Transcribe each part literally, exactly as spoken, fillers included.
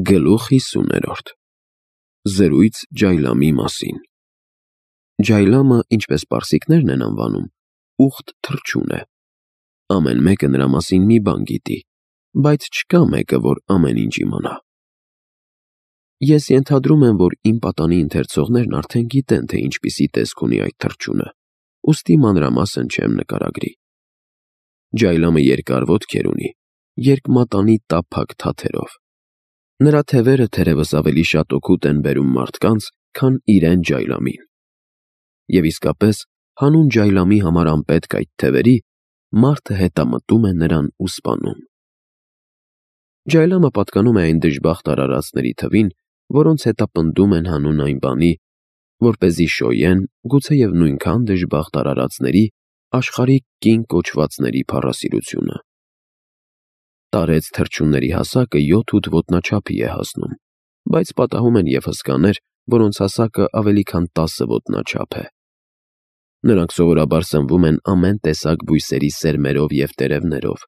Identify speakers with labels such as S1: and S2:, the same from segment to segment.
S1: Գլուխ հիսուներորդ Զրույց Ջայլամի մասին Ջայլամը, ինչպես պարսիկներն են անվանում, ուխտ թռչուն է։ Ամեն մեկը նրա մասին մի բան գիտի, բայց չկա մեկը, որ ամեն ինչ իմանա։ Ես ենթադրում եմ, որ իմ պատանի ընթերցողներն արդեն գիտեն, թե ինչպիսի տեսք ունի այդ թռչունը, ուստի մանրամասն չեմ նկարագրի։ Ջայլամը երկար ոտքեր ունի, երկմատանի տափակ թաթերով։ Նրա թևերը թերևս ավելի շատ օգուտ են բերում մարդկանց, քան իրեն Ջայլամին։ Եվ իսկապես, հանուն Ջայլամի համար անպետք այդ թևերի, մարդը հետամտում է նրան ու սպանում։ Ջայլամը պատկանում է այն դժբախտ արարածների թվին, որոնց հետապնդում են հանուն այն բանի, որպեսզի շոյեն, գուցեև նույնքան դժբախտ արարածների, աշխարհիկ կին կոչվածների փառասիրությունը։ Տարեց թռչունների հասակը յոթ-ութ ոտնաչափի է հասնում, բայց պատահում են և հսկաներ, որոնց հասակը ավելի քան տասը ոտնաչափ է։ Նրանք սովորաբար սնվում են ամեն տեսակ բույսերի սերմերով և տերևներով։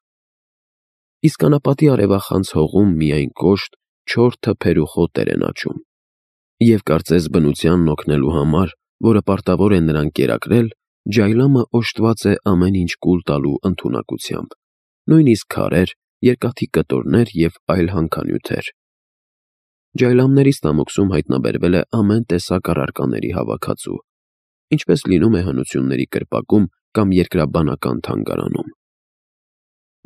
S1: Իսկ անապատի արևախանձ հողում միայն կոշտ, չոր թփեր ու խոտեր են աճում։ Եվ կարծես բնությանն օգնելու համար, որը պարտավոր է նրան կերակրել, Ջայլամը օժտված է ամեն ինչ կուլ տալու ընդունակությամբ, նույնիսկ քարեր, երկաթի կտորներ և այլ հանքանյութեր։ Ջայլամների ստամոքսում հայտնաբերվել է ամեն տեսակ առարկաների հավաքածու, ինչպես լինում է հնությունների կրպակում կամ երկրաբանական թանգարանում։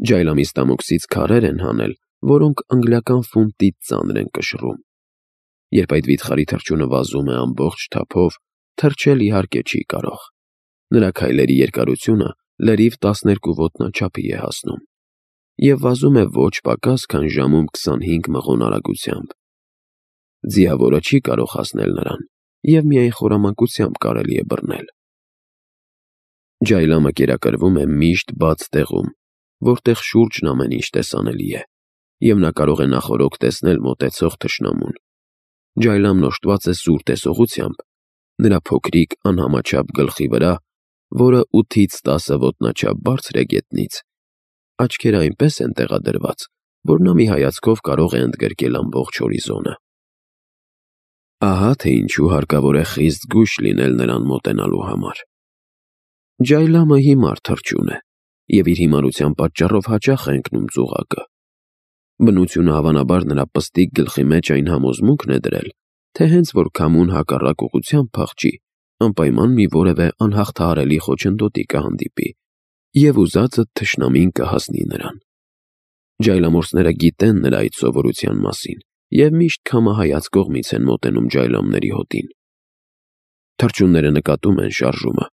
S1: Ջայլամի ստամոքսից քարեր են հանել, որոնք անգլիական ֆունտից ծանր են կշռում։ Երբ այդ վիթխարի թռչունը վազում է ամբողջ թափով, թռչել իհարկե չի կարող։ Նրա քայլերի երկարությունը լրիվ տասներկու ոտնաչափի է հասնում և վազում է ոչ պակաս, քան ժամում քսանհինգ մղոն արագությամբ։ Ձիավորը չի կարող հասնել նրան, և միայն խորամանկությամբ կարելի է բռնել։ Ջայլամը կերակրվում է միշտ բաց տեղում, որտեղ շուրջն ամեն ինչ տեսանելի է, և նա կարող է նախօրոք տեսնել մոտեցող թշնամուն։ Ջայլամն օժտված է սուր տեսողությամբ, նրա փոքրիկ անհամաչափ գլխի վրա, որը ութից տասը ոտնաչափ բարձր է գետնից, աչքերը այնպես են տեղադրված, որ նա մի հայացքով կարող է ընդգրկել ամբողջ հորիզոնը։ Ահա թե ինչու հարկավոր է խիստ զգույշ լինել նրան մոտենալու համար։ Ջայլամը հիմար թռչուն է, և իր հիմարության պատճառով հաճախ է ընկնում ծուղակը։ Բնությունը հավանաբար նրա պստիկ գլխի մեջ այն համոզմունքն է դրել, թե հենց որ քամուն հակառակ ուղղությամբ փախչի, անպայման մի որևէ անհաղթահարելի խոչընդոտի կհանդիպի, և ուզածդ թշնամին կհասնի նրան։ Ջայլամորսները գիտեն նրա այդ սովորության մասին և միշտ քամահայաց կողմից են մոտենում ջայլամների հոտին։ Թռչունները նկատում են շարժումը,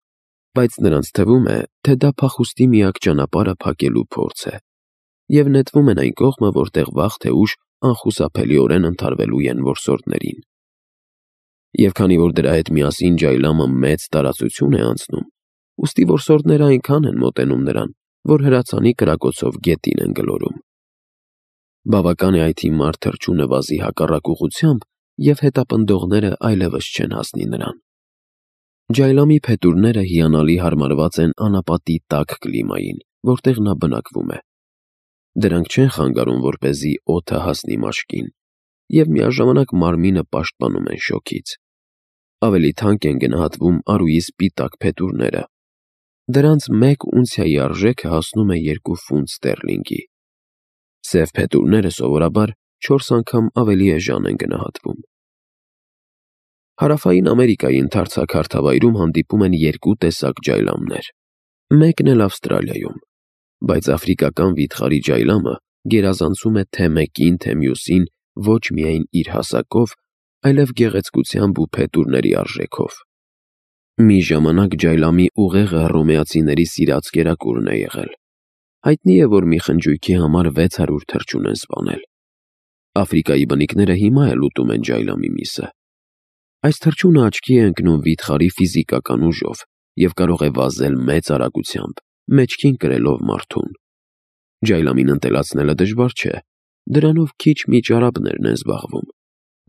S1: բայց նրանց թվում է, թե դա փախուստի միակ ճանապարհը փակելու փորձ է, և նետվում են այն կողմը, որտեղ վաղ թե ուշ անխուսափելիորեն ընդհարվելու են որսորդներին։ Եվ քանի որ դրա հետ միասին Ջայլամը մեծ տարածություն է անցնում, ուստի որսորդները այնքան են մոտենում նրան, որ հրացանի կրակոցով գետին են գլորում։ Բավական է այդ հիմար թռչունը վազի հակառակ ուղղությամբ, և հետապնդողները այլևս չեն հասնի նրան։ Ջայլամի փետուրները հիանալի հարմարված են անապատի տաք կլիմային, որտեղ նա բնակվում է։ Դրանք չեն խանգարում, որպեսզի օդը հասնի մաշկին, և միաժամանակ մարմինը պաշտպանում են շոգից։ Ավելի թանկ են գնահատվում արուի սպիտակ փետուրները։ Դրանց մեկ ունցիայի արժեքը հասնում է երկու ֆունտ ստերլինգի։ Սև փետուրները սովորաբար չորս անգամ ավելի էժան են գնահատվում։ Հարավային Ամերիկայի ընդարձակ հարթավայրում հանդիպում են երկու տեսակ ջայլամներ։ Մեկն էլ Ավստրալիայում, բայց աֆրիկական վիթխարի ջայլամը գերազանցում է թե մեկին, թե մյուսին ոչ միայն իր հասակով, այլև գեղեցկությամբ ու փետուրների արժեքով։ Մի ժամանակ ջայլամի ուղեղը հռոմեացիների սիրած կերակուրն է եղել։ Հայտնի է, որ մի խնջույքի համար վեց հարյուր թռչուն են սպանել։ Աֆրիկայի բնիկները հիմա էլ ուտում են ջայլամի միսը։ Այս թռչունը աչքի է ընկնում վիթխարի ֆիզիկական ուժով և կարող է վազել մեծ արագությամբ, մեջքին կրելով մարդուն։ Ջայլամին ընտելացնելը դժվար չէ, դրանով քիչ-միչ արաբներն են զբաղվում։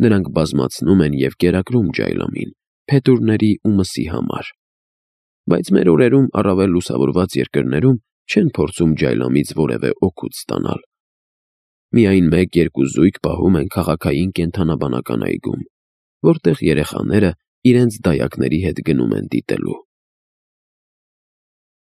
S1: Նրանք բազմացնում են և կերակրում ջայլամին փետուրների ու մսի համար։ Բայց մեր օրերում առավել լուսավորված երկրներում չեն փորձում ջայլամից որևէ օգուտ ստանալ։ Միայն մեկ-երկու զույգ պահում են քաղաքային կենդանաբանական այգում, որտեղ երեխաները իրենց դայակների հետ գնում են դիտելու։